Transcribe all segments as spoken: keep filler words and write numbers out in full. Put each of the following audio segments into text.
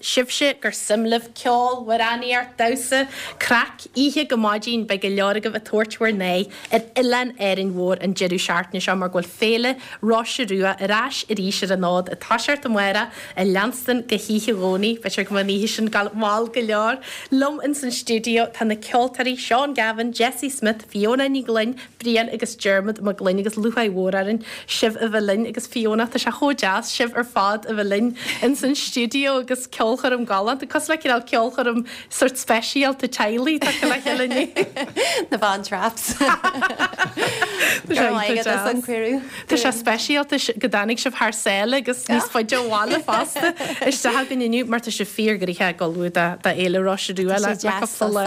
Sibhse gur suim libh ceol, amhránaíocht, damhsa, craic, oíche go maidin beidh go leor agaibh ag tabhairt bhur n-aghaidh ar oileán Árainn Mhór an deireadh seachtaine seo mar go bhfuil Féile Roise Rua ar ais arís ar an fhód ag toiseacht amárach ag leanstan go hoíche Dhomhnaigh. B'fhéidir go mbeidh an oíche sin ag gabháil mall go leor. Liom ins an stiúideo tá na ceoltóirí Seán Gavin, Jessie Smith, Fiona Ní Ghlinn, Brian agus Diarmuid Mac Gloinn agus lúcháir mhór orainn sibh a bheith linn agus Fiona tá sé chomh deas sibh ar fad a bheith linn ins an stiúideo agus ceolchoirm galánta cosúil le cineál ceolchoirm sort speisialta teaghlaigh tagtha le chéile inniu. Na Von Trapps. Tá sé speisialta go dtáinig sibh thar sáile agus níos faide ó bhaile fosta isteach againn inniu mar tá sibh fíorghnoitheach ag ullmhú do Fhéile Roise Rua le cúpla lá.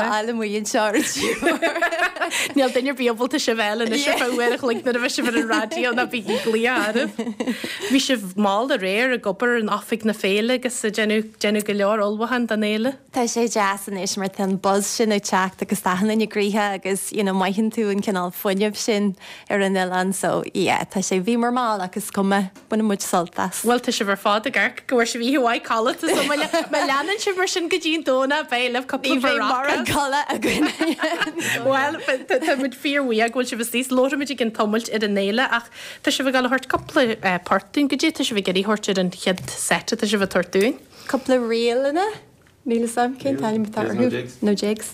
Níl duine ar bith ábalta sibh a fháil anois ar feadh uair a chloig nuair a bheidh sibh ar an raidió ná bígí ag glaoch oraibh. Bhí sibh mall aréir ag obair in oifig na féile agus ag déanamh déanamh go leor ullmhúchán don fhéile. Tá sé deas anois mar tá an buzz sin ag teacht agus tá achan duine gnoitheach agus you know mothaíonn tú an cineál fuinneamh sin ar an oileán so yeah tá sé bhíomar mall ach is cuma baineann muid sult as. Bhuel tá sibh ar fad ag amharc go bhfuair sibh oíche mhaith codlata so má má leanann sibh mar sin go dtí an Domhnach beidh libh cúpla Ní bheidh mórán codladh againn. Bhuel tá muid fíorbhuíoch go bhfuil sibh istigh. Labharfaimid i gcionn tamaill ar an fhéile ach tá sibh ag dul a thabhairt cúpla port dúinn. Goidé tá sibh ag iarraidh thabhairt ar an chéad set atá sibh ag tabhairt dúinn? Cúpla ríleanna? Níl fhios a'm cén t-ainm atá orthu. Nó jigs.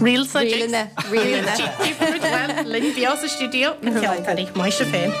Reels nó jigs? Ríleanna, ríleanna. Bhuel, linn beo sa stiúideo, na ceoltóirí. Maith sibh féin.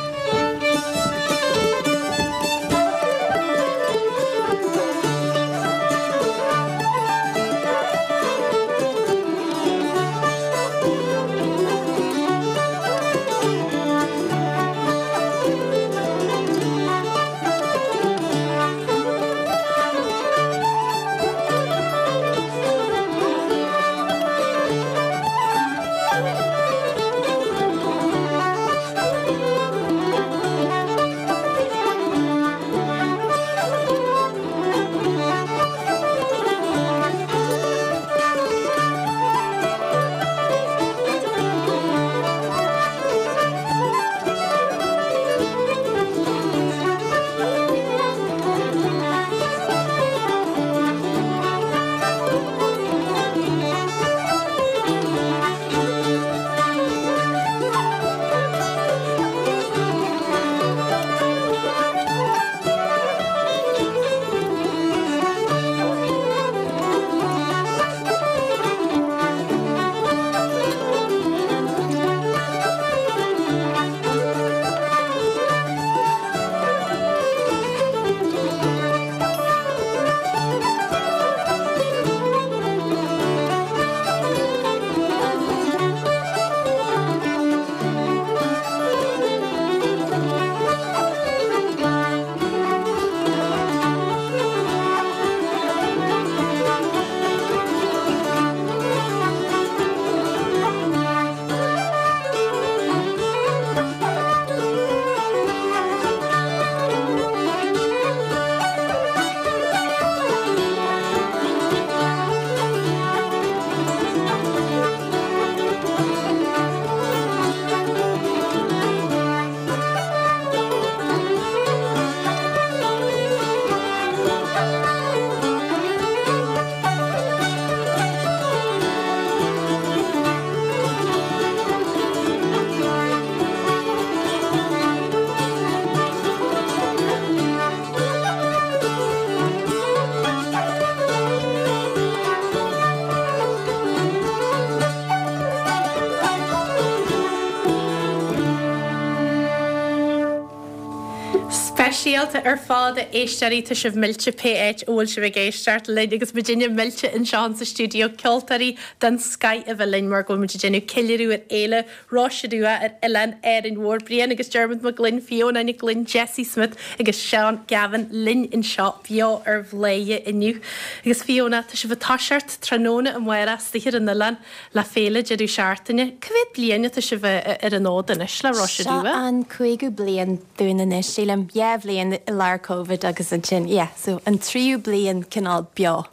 Speisialta ar fad a éisteoirí, tá sibh millte pé áit a bhfuil sibh ag éisteacht linn agus muidinne millte anseo sa stiúideo ceoltóirí den scoith a bheith linn mar go bhfuil muid ag déanamh ceiliúradh ar Fhéile Roise Rua ar Oileán Árainn Mhór. Brian agus Diarmuid Mac Gloinn, Fiona Nic Gloinn, Jessie Smith agus Seán Gavin linn anseo beo ar Bhladhaire inniu. Agus Fiona, tá sibh ag toiseacht tráthnóna amárach istigh ar an oileán le féile deireadh seachtaine. Cá mhéad bliain atá sibh ar an fhód anois le Roise Seo Rua? an cúigiú bliain dúinn anois, sílim. Dhá bhliain i lár Covid agus ansin, yeah, so an tríú bliain cineál beo.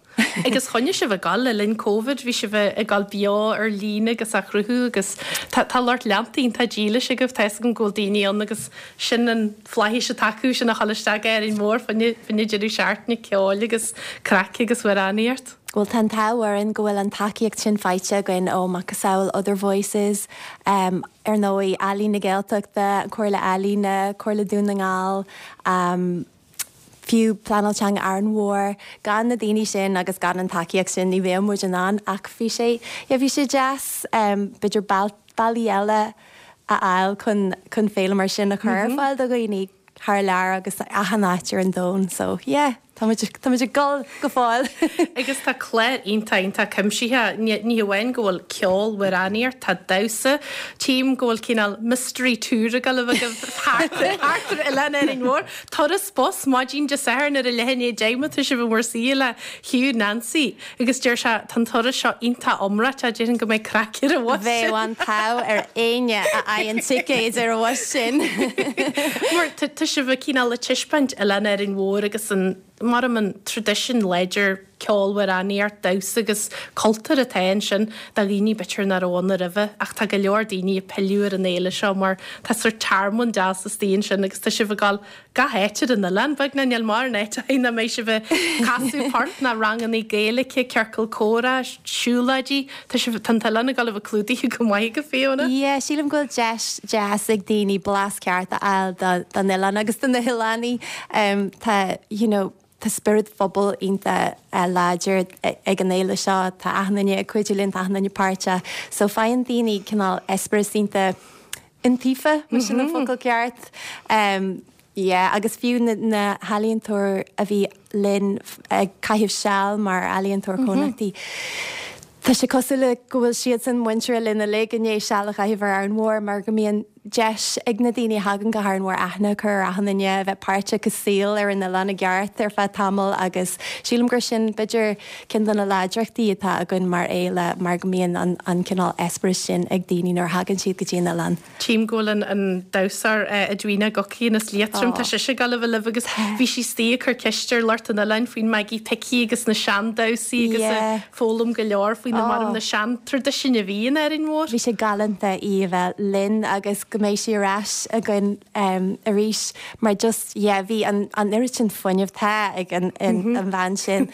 Agus choinnigh sibh ag dul le linn Covid, bhí sibh ag dul beo ar líne agus á chruthú agus tá tá lucht leanta iontach dílis agaibh, tá a fhios agam go bhfuil daoine ann agus sin an fhlaithis atá acu sin a dhul isteach ar Árainn Mhór fá choinne fá choinne deireadh seachtaine ceoil agus craic agus amhránaíocht. Bhuel tá an t-ádh orainn go bhfuil an tacaíocht sin faighte againn ó Macasamhail Other Voices, um, ar ndóigh Ealaín na Gaeltachta, Comhairle Ealaíne, Comhairle Dún na nGall, um, fiú Pleanáil Teanga Árainn Mhór, gan na daoine sin agus gan an tacaíocht sin ní bheadh muid in ann ach bhí sé yeah, bhí sé deas um, b'fhéidir bealaí eile a fháil chun chun féile mar sin a chur ar fáil do dhaoine thar lear agus achan áit ar an domhan, so yeah, tá tá ag dul go fóill. Agus tá clár iontach iontach cuimsitheach ní hamháin go bhfuil ceol amhránaíocht tá damhsa tím go bhfuil cineál mystery tour ag dul a bheith thart ar Oileán Árainn Mhór. Turas bus maidin Dé Sathairn ar a leath i ndiaidh a deich má tá sibh i bhur suí le Hugh Nancy agus deir sé tá an turas seo iontach iomráiteach déarfainn go mbeidh craic ar an bhus Bheadh an t-ádh ar éinne a fhaigheann ticéid ar an bhus sin. Mar tá sibh cineál ag taispeáint Oileán Árainn Mhór agus an mar an traidisiún láidir ceol amhránaíocht damhsa agus cultúr atá ansin do dhaoine b'fhéidir nach raibh ann roimhe ach tá go leor daoine ag pilleadh ar an fhéile seo mar tá sórt tearmann deas istigh ansin agus tá sibh ag dul gach áit ar an oileán beagnach níl mórán áit nach mbeidh sibh ag casadh port ná ranganna Gaeilge ciorcal comhrá siúlóidí tá sibh tá an t-oileán ag dul a bheith clúdaithe go maith go Fiona. Yeah, sílim go bhfuil deis deas ag daoine blas ceart a fháil don oileán agus do na hoileánaigh um, tá you know, Tá spiorad phobail iontach láidir ag an fhéile seo, tá achan duine ag cuidiú linn tá achan duine páirteach, so faigheann daoine cineál eispéireas iontach iontaofa mar sin an focal ceart. Um, yeah, agus fiú na, na healaíontóirí a bhí linn ag caitheamh seal mar ealaíontóir cónaitheach. Tá sé cosúil le go bhfuil siad san muinteartha linn uilig i ndiaidh seal a chaitheamh ar Árainn Mhór mar go mbíonn deis ag na daoine a thagann go hÁrainn Mhór aithne a chur ar achan duine a bheith páirteach i saol ar an oileán i gceart ar feadh tamaill agus sílim gur sin b'fhéidir ceann de na láidreachtaí atá againn mar fhéile mar go mbíonn an, an cineál eispéireas sin ag daoine nuair a thagann siad go dtí an oileán. Tím go bhfuil an, an damhsóir Edwina Guckian as Liatroim tá sise ag dul a bheith libh agus bhí sí istigh ag cur ceist ar lucht an oileáin faoin Maggie Picky agus na seandamhsaí agus Yeah. foghlaim go leor faoi na Oh. mar na seantraidisiúin a bhí in Árainn Mhór. Bhí sé galánta í a bheith linn agus go mbeidh sí ar ais againn um, arís mar just yeah, bhí an, an oiread sin fuinneamh tá ag an, an, mm -hmm. an bhean sin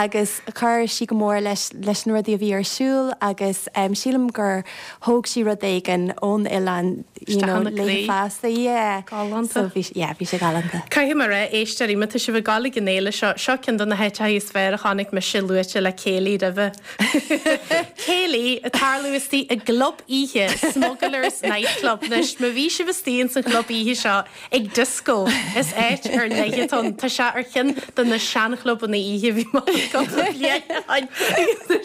agus chuir sí go mór leis leis na rudaí a bhí ar siúl agus um, sílim gur thóg sí rud éigin ón oileán you Isteach know, ina léi croí. fosta yeah. Galánta. So bhí yeah, bhí sé galánta. Caithfidh mé a rá éisteoirí má tá sibh ag dul ag an fhéile seo seo ceann de na háiteacha is fearr a chonaic mise luaite le céilí roimhe. Céilí ag tarlú istigh i gclub oíche Smugglers Nightclub anois má bhí sibh istigh san chlub oíche seo ag disco is áit ar leith Tá sé ar cheann de na seanchlubanna oíche bhí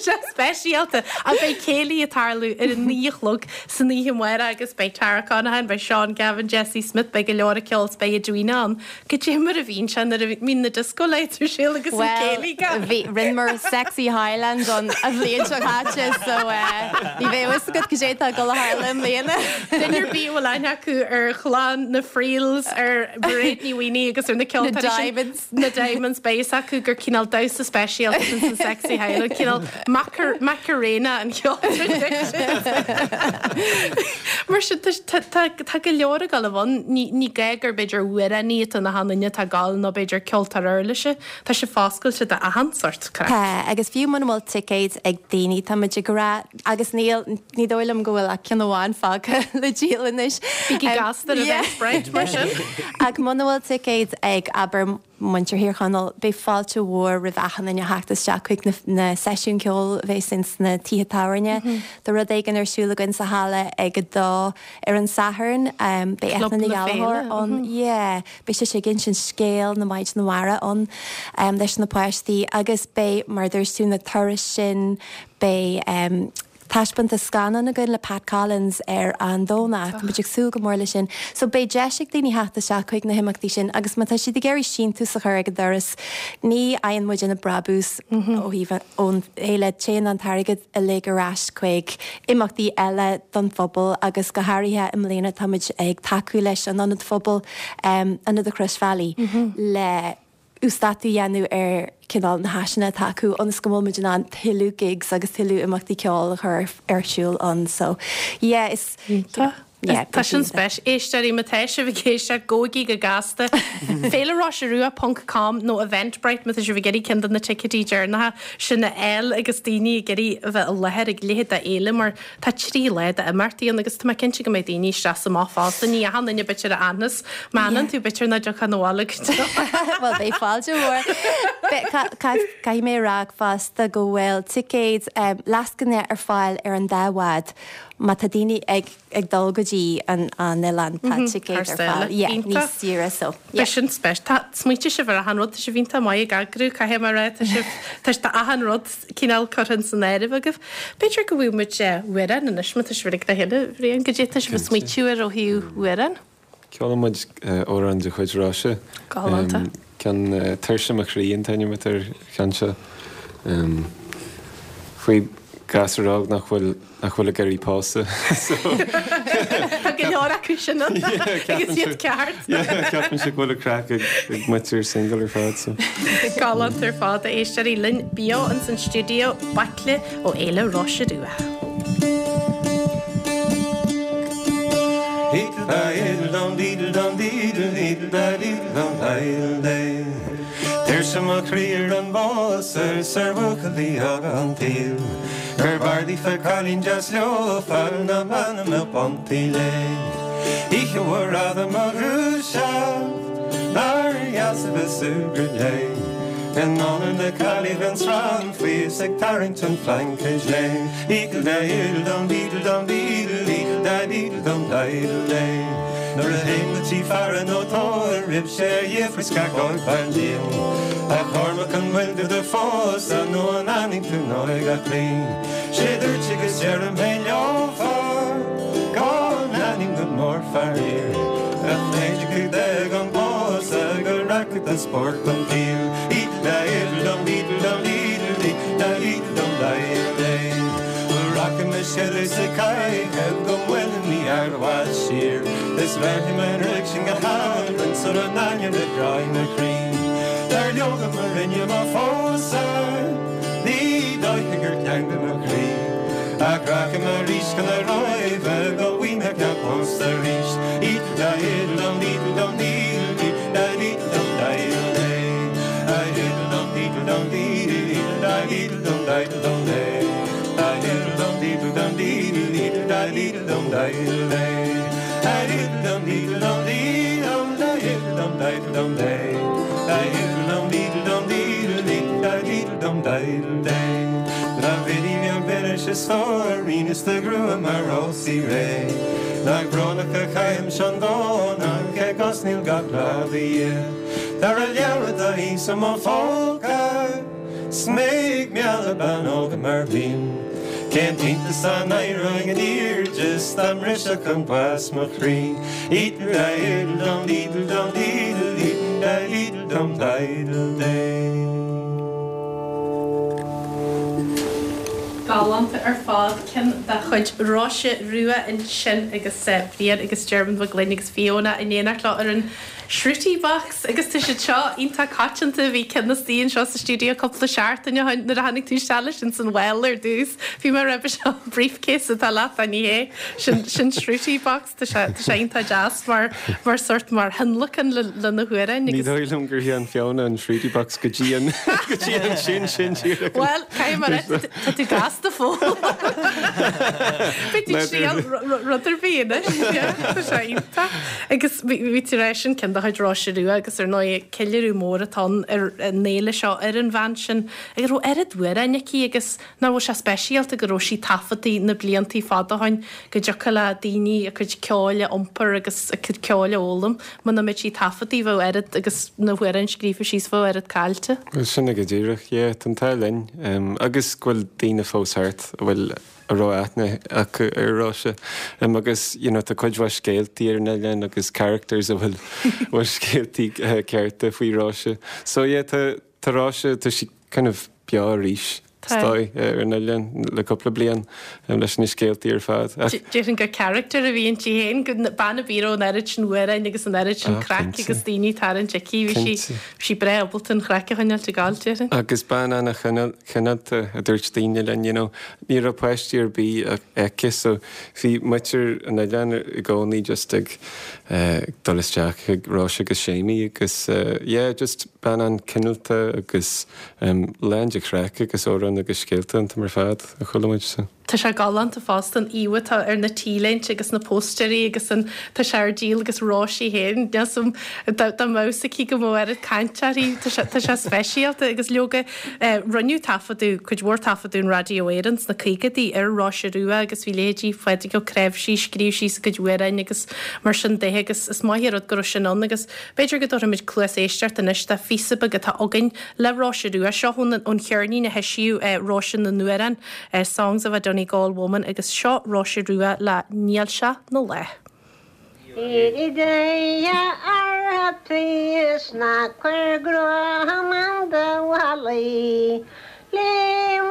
sé speisialta a bheidh céilí ag tarlú ar a naoi a chlog san oíche amárach agus beidh Tara Conaghan, beidh Sean Gavin, Jesse Smith, beidh go leor ceol beidh Edwina ann. Goidé mar a bhíonn sé nuair a bhíonn na disco lights ar siúl agus an céilí ga. Bhí rinneamar sexy Highland an a bhliain seo caite so uh, ní bheidh a fhios agat goidé atá ag dul a tharlú i mbliana. Duine ar bith a bhfuil aithne acu ar chlann na Friels ar Mhairéad Ní Mhaonaigh agus ar na ceoltóirí Na sin- Diamonds. na Diamonds beidh a fhios acu gur cineál damhsa speisialta san sexy Highland cineál Macarena an ceol Mar sin tá go leor ag dul ann ní gá gur b'fhéidir amhránaí atá na hainine tá gal nó b'fhéidir ceoltóir uirlise Tá sé foscailte d'achan sórt craic. Tá agus fiú muna bhfuil ticéid ag daoine tá muid ag rá agus níl ní dóigh liom go bhfuil ach ceann amháin fágtha le díol anois. Bígí Um, gasta ar yeah. Eventbrite mar sin. Ach muna bhfuil ticéid ag abair muintir Thír Chonaill beidh fáilte mhór roimh achan duine a theacht isteach chuig na, na seisiún ceoil a bheas ins na tithe tábhairne. Mm -hmm. Tá rud éigin ar siúl againn sa halla ag a dó ar an Satharn um, beidh Club Eithne na Ní Ghallchóir Féile, ann yeah, beidh sé ag insint scéal na Maighdeana Mara ann um, leis na páistí agus beidh mar dúirt tú na turais sin beidh um, taispeántas scannán againn le Pat Collins ar an Domhnach, Tá muid ag súil go mór leis sin. So beidh deis ag daoine theacht isteach chuig na himeachtaí sin agus má tá siad ag iarraidh síntiús a chur ag an doras ní fhaigheann muid aon bhrabús ó thaobh ón fhéile téann an t-airgead uilig ar ais chuig imeachtaí eile don phobal agus go háirithe i mbliana táimid ag tacú leis an ionad phobail um, Ionad an Chroisbhealaigh le uasdátú a dhéanamh ar cineál na háiseanna atá acu ionas go bhfuil muid in ann tuilleadh gigs agus tuilleadh imeachtaí ceoil a chur ar siúl ann so yeah is Yeah, Tá sin speis éisteoirí má tá sibh ag éisteacht gabhaigí go gasta. Féile Roise Rua ponc com nó Eventbrite má tá sibh ag iarraidh ceann de na ticéidí deireanacha sin a fháil agus daoine ag iarraidh a bheith i láthair ag leithéid d'fhéile mar tá trí lá d'imeachtaí ann agus tá mé cinnte go mbeidh daoine isteach is amach fosta ní achan duine b'fhéidir a fhanfas má fhanann tú b'fhéidir nach dtiocfá abhaile go deo. Well beidh fáilte mhór. Caithfidh mé rá fosta go bhfuil ticéid um, lascaine ar fáil ar an dá bhád má tá daoine ag ag dul go dtí an an oileán tá mhm, ticéid ar fáil níos saoire so. Beidh sin speis Tá smaointe sibh ar achan rud tá sibh iontach maith ag eagrú caithfidh mé a rá tá sibh tá tá achan rud cineál curtha san áireamh agaibh. B'fhéidir go bhfuil muid amhrán anois má tá sibh ag le chéile Bhriain goidé tá sibh ag smaoitiú ar ó thaobh amhrán. Ceolfaidh muid amhrán de chuid Róise. Galánta. Ceann Tuirse mo chroí an t-ainm atá ar an cheann seo. Faoi gasúr óg nach bhfuil nach bhfuil ag iarraidh pósadh. Tá go leor acu sin ann agus iad ceart. Ceapaimse go bhfuil an craic ag ag muintir single ar fad so. Galánta ar fad a éisteoirí linn beo ins an stiúideo Baicle ó Fhéile Róise Rua. Tuirse mo chroí ar an bpósadh 's ar bhuachaillí óga an tsaoil Gur b'fhearr daofa cailín deas leofa ná bean a mbeadh pontaí léi Oíche mhór fhada mo dhúiseacht Nár dheas a bheith súgradh léi In onóir na caillí bheinn srann faoi 's ag tarraingt an phleaince léi Nuair a théim go tí faire nó tórraimh 'sé a fhiafraíos gach ógfhear díom A Chormaic an bhfuil tú do phósadh nó an fhanfaidh tú in óige a chroí 'Sé dúirt agus deirim fhéin leofa Go n-aithním go mór faraor Ach b'fhéidir go dtig an pósadh go rachaidh do spórt an tsaoil Rachaidh mo scileadh sa caitheamh go bhfuilim ní fhearr i bhfad siar Is bheirfidh mé an ruaig sin go hÁrainn sula n-aithneoidh le gráin mo chroí Dar leoga má rinne mo phósadh ní dóiche gur teanga mo chroí Ach rachaidh mé arís chun na Róimhe go bhfaighidh mé cead pósta arís Is do ghrua mar rósaí réidh Nach brónach a chaithim an Domhnach agus níl gach lá do dhíth Dara leabhar atá thíos i mo phóca 's mé ag mealladh bean óga mar bhím Cén t-iontas dá n-éireoinn in airde 's dá mbrisfeadh an bás mo chroí Galánta ar fad, ceann de chuid Róise Rua ansin agus Brian agus Diarmuid Mac Gloinn agus Fiona in éineacht leo ar an Shruti Box agus tá siad seo iontach coitianta, bhí ceann istigh anseo sa stiúideo cúpla seachtain ó shin nuair a tháinig tú isteach leis ins an mhála ar dtús, bhí mé roimhe seo briefcase atá leat ní hé sin sin Shruti Box tá sé tá sé iontach deas mar mar sort mar thionlacan le le na hamhráin Ní dóigh liom gur shean Fiona an Shruti Box go dtí an go dtí an sin sin díreach. Bhuel caithfidh mé a rá tá tú gasta fóill. Beidh tú ag triail rud ar bith anois yeah tá sé iontach. Agus bhí tú ag rá sin ceann de chuid Róise Rua agus ar ndóigh ceiliúradh mór atá ann ar an fhéile seo ar an bhean sin agus raibh oiread amhráin aici agus nach bhfuil sé speisialta go raibh sí taifeadtaí na bliantaí fada ó shin go dtiocfadh le daoine a cuid ceoil a iompar agus a cuid ceoil a fhoghlaim muna mbeadh sí taifeadtaí bheadh oiread agus na hamhráin scríofa síos bheadh oiread caillte. Bhuel sin é go díreach, yeah, tá an t-ádh linn agus go bhfuil daoine fós thart a bhfuil a raibh aithne acu ar Róise agus you know tá cuid mhaith scéaltaí ar an oileán agus characters a bhfuil bhfuil scéaltaí cearta faoi Róise. So yeah tá tá Róise tá sí kind of beo arís. is dóigh ar an oileán le cúpla bliain leis na scéaltaí ar fad. Déarfainn gur character a bhí inti féin, go bean a bhí an oiread sin amhráin agus an oiread sin craic agus daoine ag tarraingt aici, bhí sí bhí sí breá ábalta an chraic a choinneáil ag gabháil, déarfainn. Agus bean an-chineálta a dúirt daoine linn, you know, ní raibh páistí ar bith aici so bhí muintir an oileáin i gcónaí just ag dul isteach chuig Róise agus Séimí agus yeah just bean an-chineálta agus lán de chraic agus amhráin agus scéalta an t-am ar fad a chuala muid so. Tá sé galánta fosta an íomhá atá ar na T-léinte agus na póstaerí agus an tá sé ar díol agus Róise féin dá dá mbeadh aici go mbeadh oiread caint uirthi tá sé tá sé speisialta agus leoga rinneadh taifeadadh cuid mhór taifeadadh in Raidió Éireann sna caogaidí ar Róise Rua agus bhí leithéidí Phádraig Ó Cnáimhsí scríobh síos a gcuid amhráin agus mar sin de agus is maith an rud go raibh sin ann agus b'fhéidir go dtabharfaimid cluas éisteachta anois de phíosa beag atá againn le Róise Rua seo ón ón cheirnín a heisíodh Róise na nAmhrán Songs of a Donegal Woman agus seo Róise Rua le Níl sé 'na lá. Is ná cuir grá do mhalaí Léim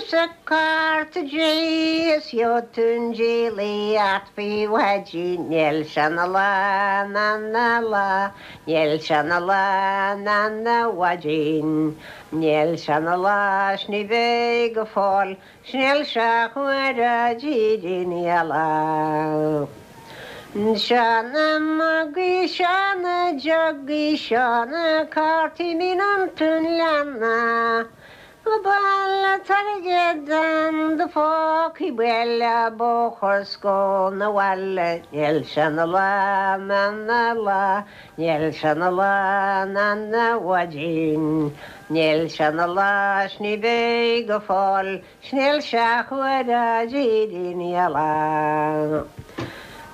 sa cárta is tún díolaíocht faoi mhaidin níl sé 'na lá na lá níl sé 'na lá na mhaidin Níl sé 'na lá 's ní bheidh go fóill 's níl sé chuir lá. Seo na mugaí seo na jugaí seo na cártaí mín an tún leanna. Baile airgead do phócaí buile bóthar scó na bhaile níl sé 'na lá na lá níl sé 'na lá na mhaidin Níl sé 'na lá 's ní bheidh go fóill 's níl sé chuir lá.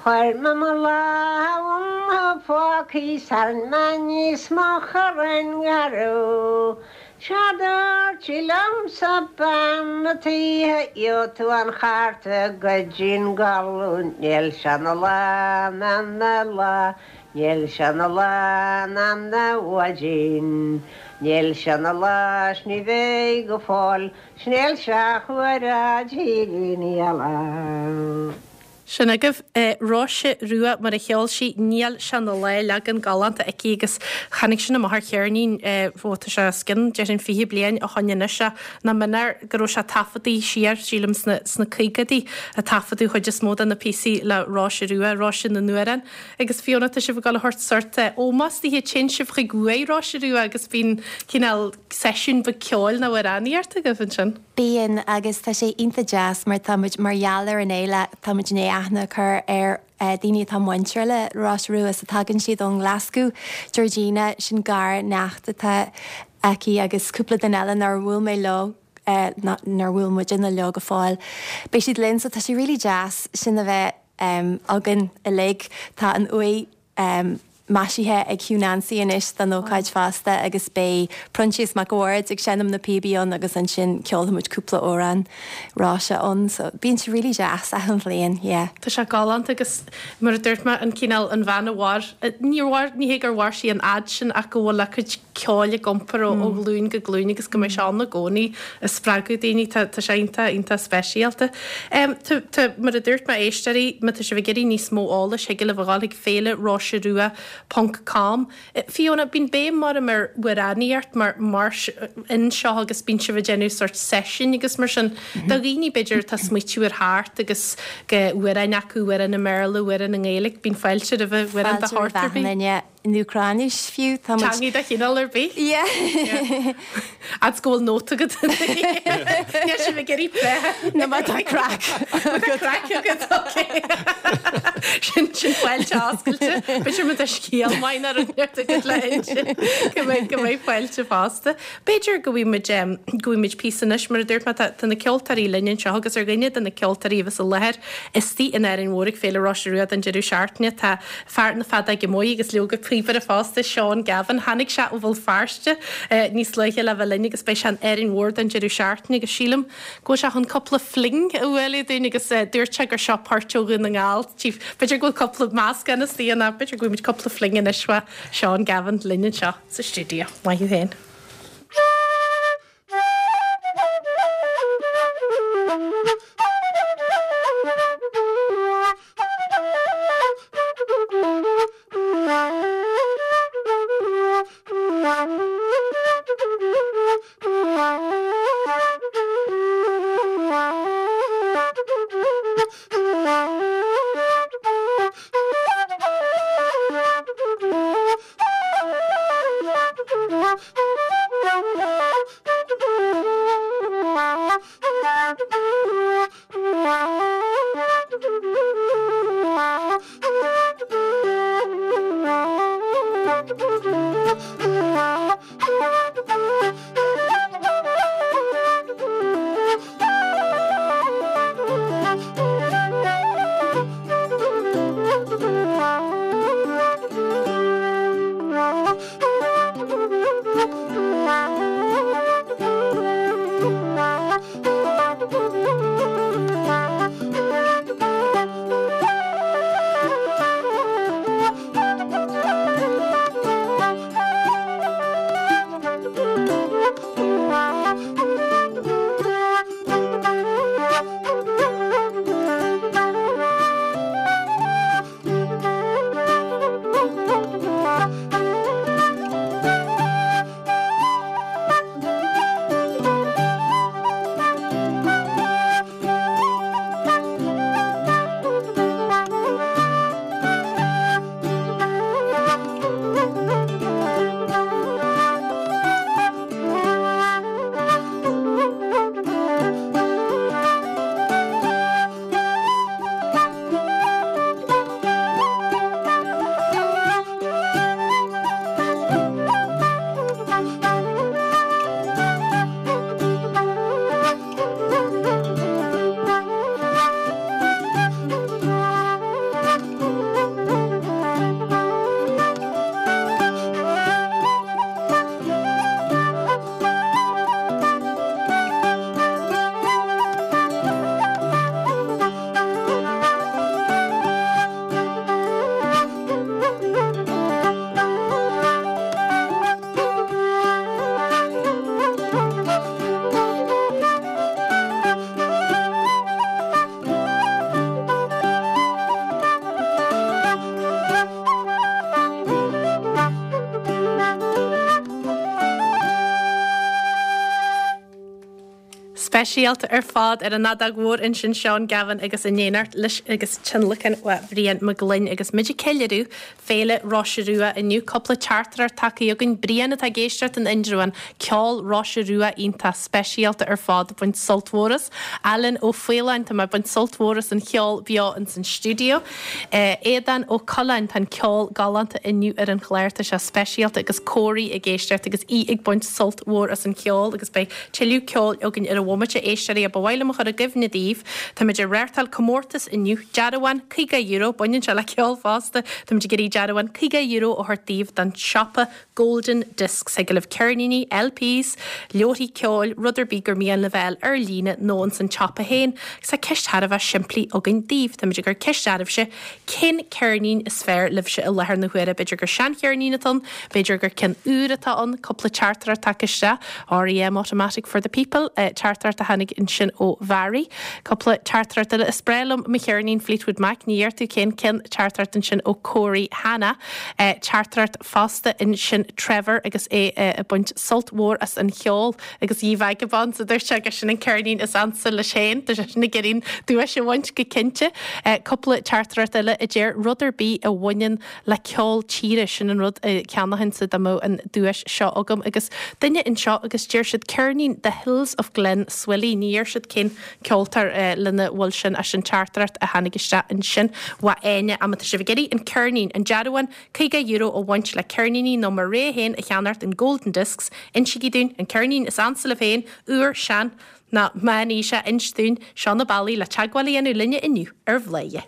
Chuir me mo lámh phócaí sar níos mo chorain garú. Seadir liomsa bean na títhe tú an charta go dtín galún níl sé 'na lá na lá níl sé 'na lá na mhaidin Níl sé 'na lá 's ní bheidh go fóill 's níl sé chuir lá. Sin agaibh Róise Rua mar a cheol sí níl sé 'na lá leagan galánta aici agus tháinig sin amach ar cheirnín ó tá sé os cionn déarfainn fiche bliain ó shin anois nach méanar go raibh sé taifeadtaí siar sílim sna sna caogaidí a taifeadadh chuid is mó de na píosaí le Róise Rua, Róise na nAmhrán. Agus Fiona tá sibh ag dul a thabhairt sórt ómós di téann sibh chuig uaigh Róise Rua agus bíonn cineál seisiún beag ceoil nó amhránaíocht agaibh ansin. Bíonn agus tá sé iontach deas mar tá muid mar gheall ar an fhéile tá muid in aithne chur ar uh, daoine atá muintir le Róise Rua sa tagann siad ón Glasgow Georgina sin garneacht atá aici agus cúpla duine eile nár bhuail mé leo uh, nár bhuail muid ina leo go fóill. Beidh siad linn so tá sé really deas sin a bheith um, againn uilig tá an uaigh um, maisithe ag Hugh Nancy anois don ócáid fosta agus beidh Proinsias Mac Bhaird ag seinm na píobaí ann agus ansin ceolfaimid cúpla amhrán Róise ann, so bíonn sé really deas achan bhliain, yeah. Tá sé galánta agus mar a dúirt mé an cineál an bhean a mhair níor mhair ní hé gur mhair sí an fhad sin ach go bhfuil a cuid ceoil ag iompar ó ó ghlúin go glúin agus go mbeidh sé ann i gcónaí ag spreagadh daoine tá tá sé iontach iontach speisialta. Um, tá, tá, mar a dúirt mé éisteoirí má tá sibh ag iarraidh níos mó eolais thig libh a ghabháil chuig féile Róise Rua ponc com. Fiona, bíonn béim mar ar amhránaíocht mar mar anseo agus bíonn sibh ag déanamh sort session agus mar sin. Do dhaoine b'fhéidir tá smaoitiú ar thart agus go amhráin acu amhrán i mBéarla amhrán i nGaeilge, bíonn fáilte roimh amhrán de shórt ar bith. In Úcráinis fiú tá Teangaidh de chineál ar bith? Yeah. As go bhfuil nóta agat. Níl sibh ag iarraidh plé. No má tá craic. Craic agat, okay. Sin sin fáilte oscailte. B'fhéidir má tá scéal maith ar an agat le inse go mbeidh go mbeidh fáilte fosta. B'fhéidir go bhfuil muid go bhfuil muid píosa anois mar a dúirt mé tá tá na ceoltóirí linn anseo agus ar dhuine de na ceoltóirí a bheas i láthair istigh in Árainn Mhór ag Féile Róise Rua don deireadh seachtaine tá fear na feadóige móire agus leoga píobaire fosta Seán Gavin tháinig sé ó Bhéal Feirste níos luaithe le bheith linn agus beidh sé in Árainn Mhór don deireadh seachtaine agus sílim go bhfuil sé chun cúpla fling a bhualadh dúinn agus dúirt sé gur seo port ó Dhún na nGall. B'fhéidir go bhfuil cúpla meascán istigh ann b'fhéidir go bhfuil muid cúpla fling anois uaidh Seán Gavin linn anseo sa stiúideo. Maith thú féin. Speisialta ar fad ar an fheadóg mhór ansin Seán Gavin agus in éineacht leis agus tionlacan ó Bhrian Mac Gloinn agus muid ag ceiliúradh Féile Roise Rua inniu cúpla teachtaireacht tagtha againn Brian atá ag éisteacht in Indreabhán ceol Roise Rua iontach speisialta ar fad baint sult mhór as. Alan Ó Faoláin tá mé ag baint sult mhór as an cheol beo in san stiúideo. Éadan Ó Coláin tá an ceol galánta inniu ar an chlár tá sé speisialta agus Córaí ag éisteacht agus í ag baint sult mhór as an cheol agus beidh tuilleadh ceoil againn ar an bhomaite éisteoirí a ba mhaith liom a chur i gcuimhne daoibh Táimid ag reáchtáil comórtas inniu dearbhán caoga euro baineann sé le ceol fosta Táimid ag iarraidh dearbhán caoga euro a thabhairt daoibh don siopa Golden Discs ag libh ceirníní, LPs, leabharthaí ceoil, rud ar bith gur mian libh a fháil ar líne nó ins an tsiopa féin. Agus tá ceist thar a bheith simplí againn daoibh Táimid ag cur ceist oraibhse cén ceirnín is fearr libhse i láthair na huaire b'fhéidir gur seancheirnín atá ann, b'fhéidir gur ceann úr atá ann, cúpla teachtaireacht tagtha isteach REM Automatic for the People, eh, teachtaireacht a tháinig ansin ó Mhary. Cúpla teachtaireacht eile is breá liom mo cheirnín Fleetwood Mac, ní dheir tú cén ceann teachtaireacht ansin ó Corey Hanna, eh, teachtaireacht fosta ansin Trevor agus é eh, ag baint sult mhór as an cheol agus Ye Vagabonds a dúirt sé agus sin an ceirnín is ansa leis féin, Tá sé sin ag iarraidh duais a bhaint go cinnte. Eh, cúpla teachtaireacht eile a deir rud ar bith a bhaineann le ceol tíre sin an rud a cheannóinnse dá mbeadh an duais seo agam agus duine anseo agus deir siad ceirnín The Hills of Glenswilly ní dheir siad cén ceoltóir eh, lena bhfuil sin as an teachtaireacht a tháinig isteach ansin ó Áine má tá sibh ag iarraidh an ceirnín an dearbhán caoga euro a bhaint le ceirníní nó mar ré féin a cheannacht in Golden Discs insígí dúinn an ceirnín is ansa libh féin úr sean nó meánaoiseach inis dúinn seo na bealaí le teagmháil a dhéanamh linne inniu ar Bhladhaire.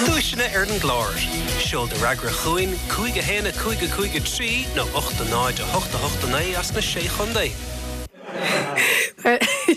Duaiseanna ar an gclár. Seol do fhreagra chugainn cúig a haon a cúig a cúig a trí nó ocht a náid a hocht a hocht a naoi as na sé chontae.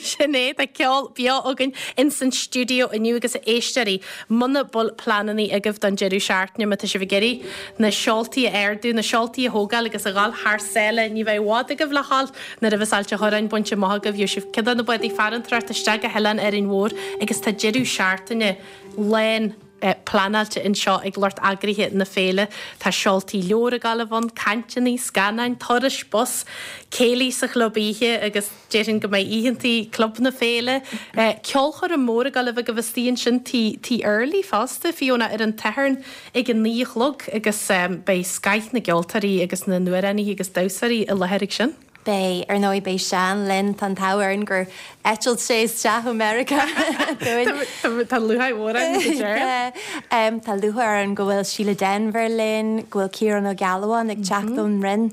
Sin é tá ceol beo againn in san stiúideo inniu agus a éisteoirí muna bhfuil pleananna agaibh don deireadh seachtaine má tá sibh ag iarraidh na seoltaí a ardú, na seoltaí a thógáil agus a ghabháil thar sáile ní bheidh i bhfad agaibh le ghabháil nuair a bheas Ailt an Chorráin bainte amach agaibh gheobhaidh sibh cead na bádaí farantóireachta isteach go hOileán Árainn Mhór agus tá deireadh seachtaine lán eh, pleanáilte anseo ag lucht eagraithe na féile. Tá seoltaí leabhar ag gabháil a bheith ann, cainteanna, scannáin, turais bus, céilí sa chlub oíche agus déarfainn go mbeidh oícheantaí club na féile. Eh, ceolchoirm mór ag gabháil a bheith agaibh istigh ansin tí tí Early fosta Fiona ar an Satharn ag an naoi a chlog agus um, beidh scoth na gceoltóirí agus na n-amhránaithe agus damhsóirí i láthair ag sin. Beidh ar ndóigh beidh Seán linn tá an t-ádh orainn gur eitil sé isteach ó America Tá lúcháir mhór Um, Tá lúcháir orainn go bhfuil Síle Denvir linn, go bhfuil Ciarán Ó Gealbháin ag teacht ón Rinn,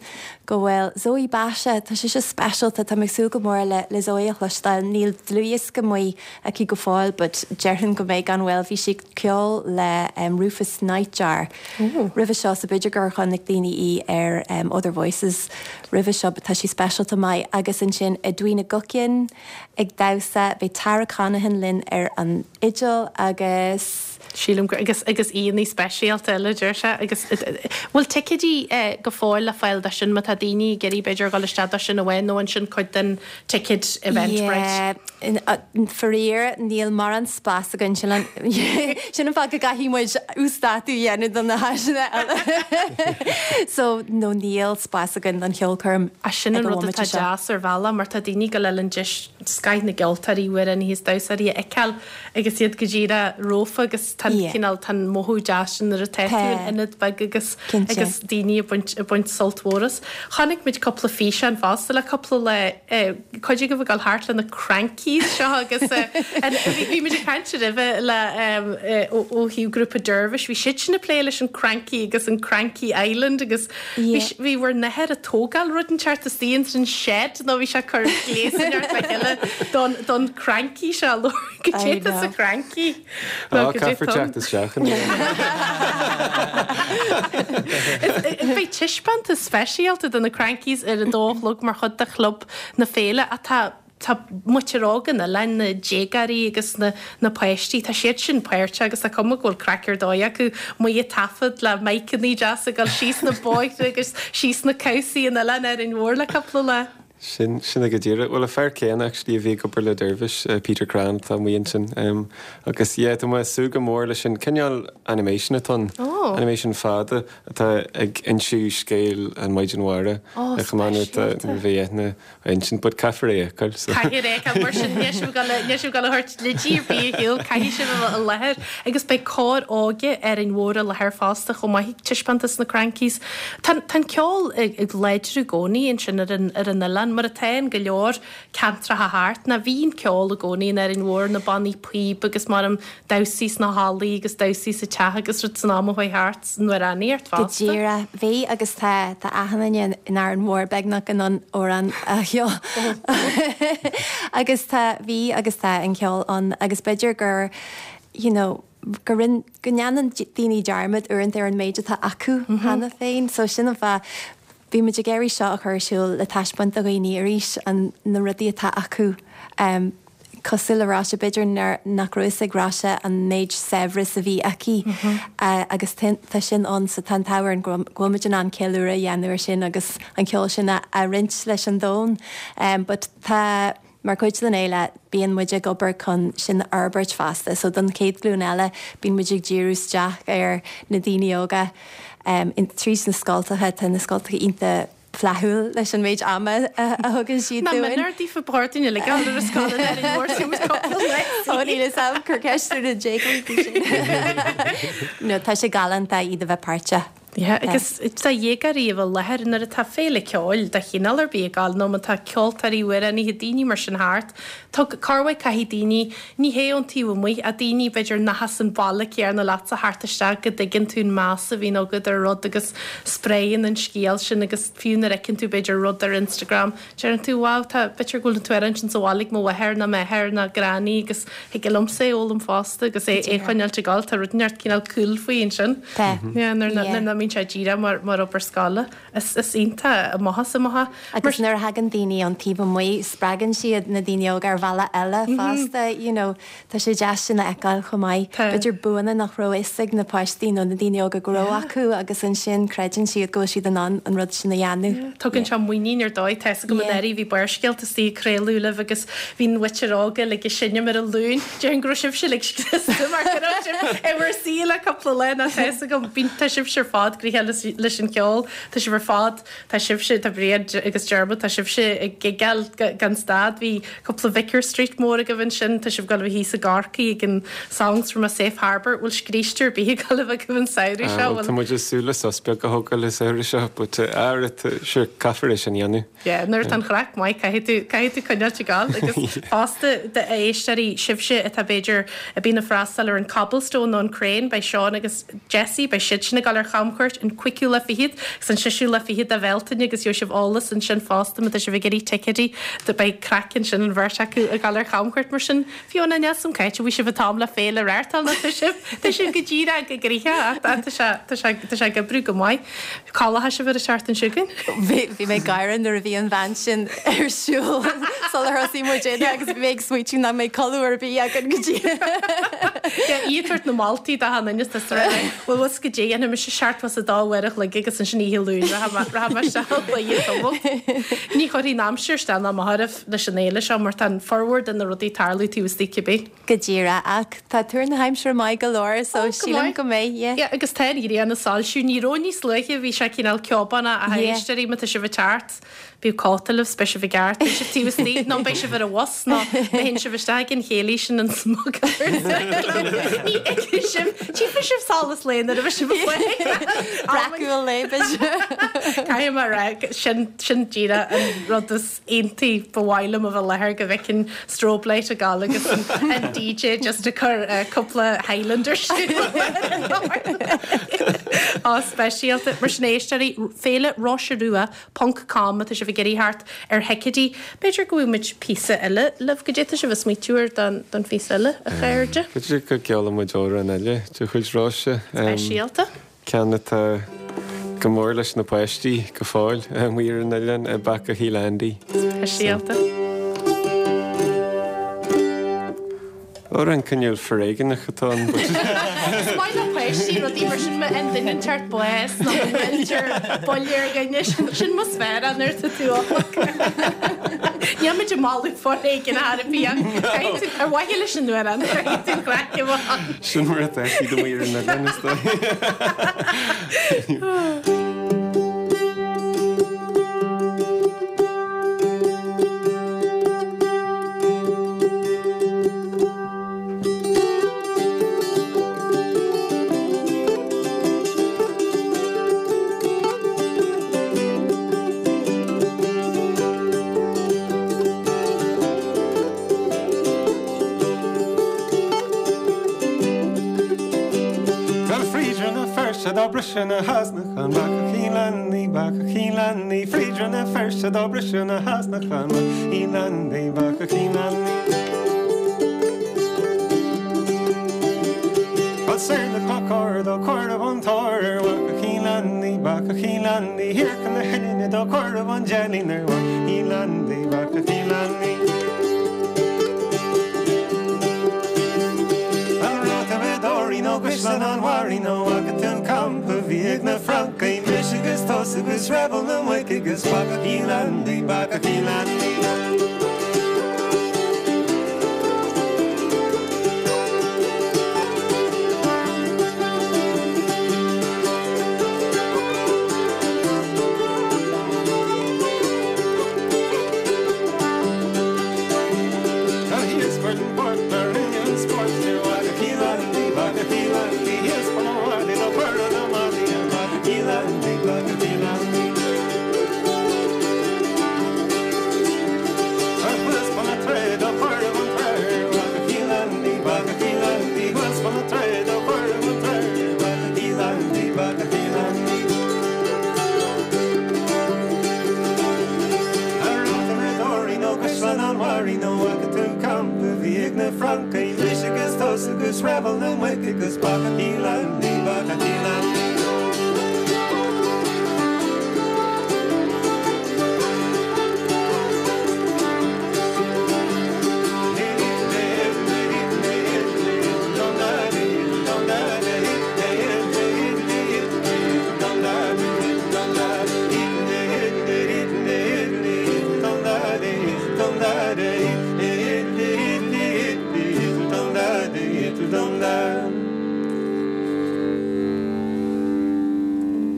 go bhfuil Zoe Basha tá sé se speisialta tá mé ag súil go mór le le Zoe a chloisteáil níl dlúthdhiosca amuigh aici go fóill, but déarfainn go mbeidh gan mhoill bhí sí ceol le um, Rufus Nightjar. Roimhe seo sa b'fhéidir gur chonaic daoine í ar um, Other Voices roimhe seo tá sí speisialta maith agus ansin Edwina Guckian ag damhsa beidh Tara Connaghan linn ar an fhidil agus Sílim gur agus agus aíonna speisialta eile deir sé agus bhfuil ticéidí eh, go fóill le fáil do sin má tá daoine ag iarraidh b'fhéidir dul isteach do sin amháin nó ansin cuid den ticket Eventbrite. Faraor níl mórán spás againn sin an sin an fáth go gcaithfidh muid uasdátú a dhéanamh don na háiseanna eile. So nó níl spás againn don cheolchoirm. A sin an rud atá deas ar bhealach mar tá daoine go le an deis scoth na gceoltóirí amhránaithe is damhsóirí a fheiceáil agus iad go díreach romhat agus tá cineál tá mothú deas sin nuair atá tú in ionad beag agus agus daoine ag baint ag baint sult mhór as. Chonaic muid cúpla físeán fosta le cúpla le cuid agaibh ag dul thart le na crankies seo agus bhí muid ag caint roimhe le ó thaobh grúpa Dervish, bhí siad sin ag plé leis an cranky agus an Cranky Island agus bhí bhur n-athair ag tógáil rud inteacht istigh san shed nó bhí sé cur gléasan le chéile don don cranky seo go dté sa cranky. Caithfear teacht isteach. Beidh taispeántas speisialta do na crankies ar a dó a chlog mar chuid de chlub na féile atá tá muintir óg an oileáin na déagóirí agus na, na páistí tá siad sin páirteach agus tá cuma go bhfuil craic ar dóigh acu amuigh ag taifead le miceanna deasa ag dul síos na bóithre agus síos na cabhsaí an oileáin Árainn Mhór le cúpla lá. Sin sin é go díreach. Bhuel an fear céanna actually a bhí ag obair le Dervish, uh, Peter Cran tá amuigh ansin. Um, agus yeah, tá mé ag súil go mór leis sin cineál animation atá ann. Oh. Animation fada atá ag inse scéal an Mhaighdean Mhara. Oh, A chomh maith speisialta. nuair a bhí eithne a insint, but caithfear é a fheiceáil, so. Caithfidh é mar sin níl sibh níl sibh ag gabháil a thabhairt leidí ar bith ar shiúl, caithfidh sibh a bheith i láthair agus beidh cór óige Árainn Mhór i láthair fosta chomh maith ag taispeántas na Crankies. Tá tá an ceol ag ag láidriú i gcónaí ansin ar an ar an oileán, mar atá in go leor ceantracha thart, ná bhí an ceol i gcónaí in Árainn Mhór, na bannaí píob agus mar am damhsaí sna hallaí agus damhsaí sa teach agus rud san am a chuaigh thart san amhránaíocht Go fosta. díreach bhí agus tá tá achan duine in Árainn Mhór beagnach in ann amhrán a cheol. Agus tá bhí agus tá an ceol ann agus b'fhéidir gur you know, go rin go ndéanann daoine dearmad uaireanta ar an méid atá acu cheana féin, so sin an fáth bhí muid ag iarraidh seo a chur ar siúl le taispeáint do dhaoine arís an na rudaí atá acu. Um, cosúil le Róise b'fhéidir nach raibh fhios ag Róise an méid saibhreas a bhí aici uh, agus tá sin ann sa tá an go bhfuil muid in ann ceiliúradh a dhéanamh ar sin agus an ceol sin a, a roinnt leis an domhan. Um, but tá mar chuid den fhéile bíonn muid ag obair chun sin a fhorbairt fosta, so don chéad ghlúin eile bíonn muid ag díriú isteach ar na daoine óga um, in tríd na scoltacha tá na scoltacha iontach flaithiúil leis an méid ama a, a thugann siad Na dúinn. minar daofa bhordain le gan ar scoil in Árainn Mhór Ó ní sam chur ceist na déagóirí sin. No tá sé galánta iad a bheith páirteach. Yeah, agus tá dhéagóirí a bheith i láthair nuair atá féile ceoil de chineál ar bith ag gabháil nó má tá ceoltóirí amhránaithe daoine mar sin thart. Tá corrmhaith caithfidh daoine ní hé ón taobh amuigh a daoine b'fhéidir nach as an bhaile céanna leatsa thart isteach go dtuigeann tú an meas a bhíonn agat ar rud agus spréann an scéal sin agus fiú nuair a fheiceann tú b'fhéidir rud ar Instagram. Deireann tú wow tá b'fhéidir go bhfuil tú ar ansin sa bhaile ag mo mháthair ná m'athair ná granny agus thig liomsa é fhoghlaim fosta agus é é choinneáil ag gabháil tá rud neart cineál cool faoi ansin. Tá. Yeah, nuair Yeah. nuair nach mbíonn sé díreach mar mar obair scoile is is iontach amach amach. Agus nuair a thagann daoine ón taobh amuigh spreagann siad na daoine óga ar bhealach eile fosta, you know, tá sé deas sin a fheiceáil chomh maith. Tá. B'fhéidir buanna nach raibh fhios ag na páistí nó na daoine óga go raibh acu agus ansin creideann siad go bhfuil siad in ann an rud sin a dhéanamh. Tugann sé muinín ar dóigh tá go Yeah. an bhí Barrscéalta istigh ag craoladh libh agus bhí an mhuintir óga le go seinm ar an Luan Déarfainn go raibh sibhse le mar go raibh sibh i bhur suí le cúpla lá ná tá go bíonn tá sibhse ar fad gnoitheach leis leis an ceol tá sibh ar fad tá sibhse tá Bríd agus Dermot tá sibhse ag gigeáil gan stad bhí cúpla Vicar Street mór agaibh ansin tá sibh ag gabháil a bheith thíos i gCorcaigh ag an Songs from a Safe Harbour bhfuil scrístear bí ag gabháil a bheith agaibh an samhradh seo Tá muid ag súil le sos beag a thógáil an samhradh seo, but uh, sure caithfear é sin a dhéanamh. Yeah, nuair atá an chraic maith caithfidh tú caithfidh tú coinneáil ag gabháil agus fosta de éisteoirí sibhse atá b'fhéidir a bhíonn ag freastal ar an Cobblestone nó an Crane beidh Seán agus Jesse beidh siad sin ag gabháil ar chamchuairt an cúigiú lá fichead agus an séú lá fichead de Bhealtaine agus gheobhaidh sibh eolas ansin fosta má tá sibh ag iarraidh ticéidí de beidh craic ansin an bheirt acu ag gabháil ar chamchuairt mar sin Fiona Nelson Caiite bhí sibh atá le féile réirtal na tá sibh tá sibh go díreach go gnoitheach tá sé tá sé tá sé ag oibriú go maith. Cálatha sibh ar an seachtain seo chugainn? Bhí bhí mé ag gáire nuair a bhí an bhean sin ar siúl sular thosaigh muid agus bhí mé ag smaointiú nach mbeidh codladh ar bith againn go dtí. Íoart na maltaí da han inne Well was go dé an mis seart was a dá bhaireach le agus ansin oíche Luain Ní chuirfidh an aimsir isteach ná amach oraibh leis an fhéile seo mar tá formhór de na rudaí ag tarlú taobh istigh cibé. Go díreach ach tá tuar na haimsire maith go leor so go sílim maith. go mbeidh yeah. Yeah, agus tá an ghrian ag soilsiú ní raibh níos luaithe bhí sé cineál ceobánach a Yeah. éisteoirí má tá sibh ag teacht. Bíodh cóta libh beidh sibh i gceart, beidh sibh taobh istigh nó beidh sibh ar an bhus nó beidh sibh isteach an chéilí sin an smugglers. Ní fheicfidh sibh tchífidh sibh solas lae nuair a bheidh sibh Breacú léibid. Caithfidh mé a rá sin sin díreach an rud is iontaí ba mhaith liom a bheith i láthair go bhfeicfinn strobe light ag gabháil agus an, an DJ just ag cur uh, cúpla Highlander Á speisialta mar sin éisteoirí féile Róise Rua ponc com tá sibh ag iarraidh teacht ar thicéidí. B'fhéidir go bhfuil muid píosa eile libh go dté sibh ag smaointiú ar don don phíosa eile a chairde. B'fhéidir go gceolfaidh muid amhrán eile de chuid Róise. Speisialta. Ceann atá go mór leis na páistí go fóill amuigh ar an oileán Back o' Heelandy. Speisialta. Amhrán cineál foréigneach atá ann. Is maith le páistí rudaí mar sin má fhaigheann duine inteacht bás nó má bhuailtear buille ar dhuine, sin mo sféar nuair atá tú óg. Níl muid ag moladh foréigean ar bith ach caithfidh tú, ar mhaithe leis an amhrán, caithfidh tú an chraic a bheith ann. Sin mar atá siad amuigh ar an oileán is dóigh. Bhuel fríd Rann na Feirste dá briseadh na heasnacha Bacach Uí Leannaí, bacach Uí Leannaí Fríd Rann na Feirste dá briseadh na heasnacha Uí Leannaí, bacach Uí Leannaí. Bhuel soir le Cnoc Ard ó cuireadh an tóir ar bhacach Uí Leannaí, bacach Uí Leannaí Thiar chun na hUillinne do cuireadh an deilín ar bhacach Uí Leannaí, bacach Uí Leannaí. An raibh tú i dToraí nó gCaisleán an Bharraigh nó bhfaca tú an campa a bhí ag na Francaigh Mise agus tusa agus raidhfil na muice agus bacach Uí Leannaí, bacach Uí Leannaí. Thíos fan bport a rinne an spórt ar bhacach Uí Leannaí, bacach Uí Leannaí Thíos fan an bhaile do cuireadh na maidí ar bhacach Uí Leannaí, bacach Uí Leannaí. Thuas fan na tréad do cuireadh an treoir ar bhacach Uí Leannaí, bacach Uí Leannaí Thuas fan na tréad do cuireadh an treoir ar bhacach Uí Leannaí, bacach Uí Leannaí. An raibh tú i dToraí nó gCaisleán an Bharraigh nó bhfaca tú an campa a bhí ag na Francaigh Mise agus tusa agus raidhfil na muice agus bacach Uí Leannaí, bacach Uí Leannaí.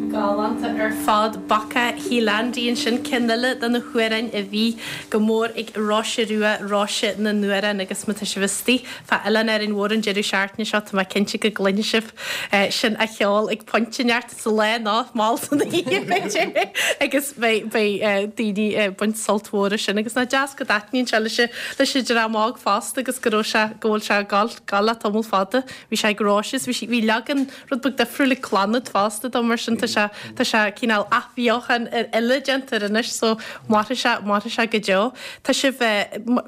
Galánta ar fad Bacach Shíleandaí ansin ceann eile de na hamhráin a bhí go mór ag Róise Rua, Róise na nAmhrán agus má tá sibh istigh fá Oileán Árainn Mhór an deireadh seachtaine seo tá mé cinnte go gcluinfidh sibh sin á cheol ag pointe inteacht sa lá nó mall san oíche b'fhéidir agus beidh beidh daoine ag baint sult mhór as sin agus nach deas go dtaitníonn sé leis leis an dream óg fosta agus go raibh sé go bhfuil sé ag gabháil gabháil le tamall fada bhí sé ag Róise is bhí sí bhí leagan rud beag difriúil ag Clannad fosta dó mar sin tá sé tá sé cineál athbheochan ar eile déanta air anois so mairfidh sé mairfidh sé go deo. Tá sibh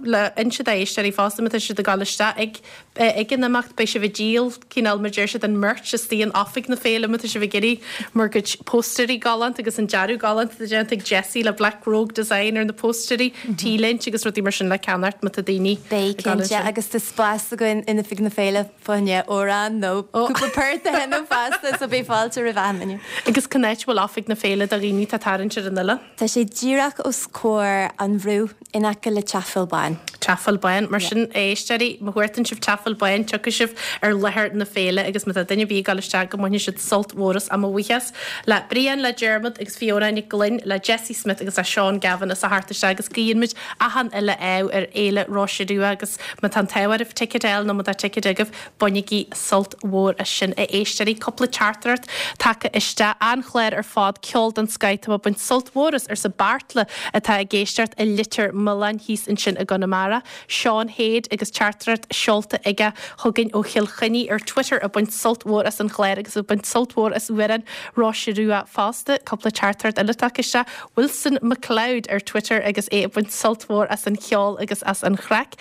le inse d'éisteoirí fosta má tá siad ag dul isteach ag ag an imeacht beidh sibh ag díol cineál mar deir siad an merch istigh in oifig na féile má tá sibh ag iarraidh bhur gcuid póstaerí galánta agus an dearadh galánta atá déanta ag Jessie le Black Rogue Design ar na póstaerí, T-léinte agus rudaí mar sin le ceannacht má tá daoine Beidh ag dul cinnte ansin. agus tá spás againn in oifig na féile fá choinne amhrán nó cúpla port a sheinm fosta so beidh fáilte roimh achan duine. Agus cá háit a bhfuil oifig na féile do dhaoine atá tarraingt ar an oileán? Tá sé díreach os comhair an bhrú in aice le Teach Phil Bán. Teach Phil Bán, mar sin éisteoirí, má chuartaíonn sibh Teach Phil Bán, tiocfaidh sibh ar láthair na féile agus má tá duine ar bith ag dul isteach go mbainfidh siad sult mhór as. Mo bhuíochas le Brian, le Dermot agus Fiona Nic Gloinn, le Jessie Smith agus le Seán Gavin as a theacht isteach agus guíonn muid achan uile ádh ar Fhéile Róise Rua agus má tá an t-ádh oraibh ticéad a fháil nó má tá ticéad agaibh, bainigí sult mhór as sin a éisteoirí. Cúpla teachtaireacht tagtha isteach an-chlár ar fad, ceol den scoth, tá mé ag baint sult mhór as arsa Beartla atá ag éisteacht i Leitir Mealláin thíos ansin i gConamara. Seán Héad agus teachtaireacht seolta aige chugainn ó Chill Chainnigh ar Twitter ag baint sult mhór as an chlár agus ag baint sult mhór as amhrán Róise Rua fosta. Cúpla teachtaireacht eile tagtha isteach. Wilson McLeod ar Twitter agus é ag baint sult mhór as an cheol agus as an chraic.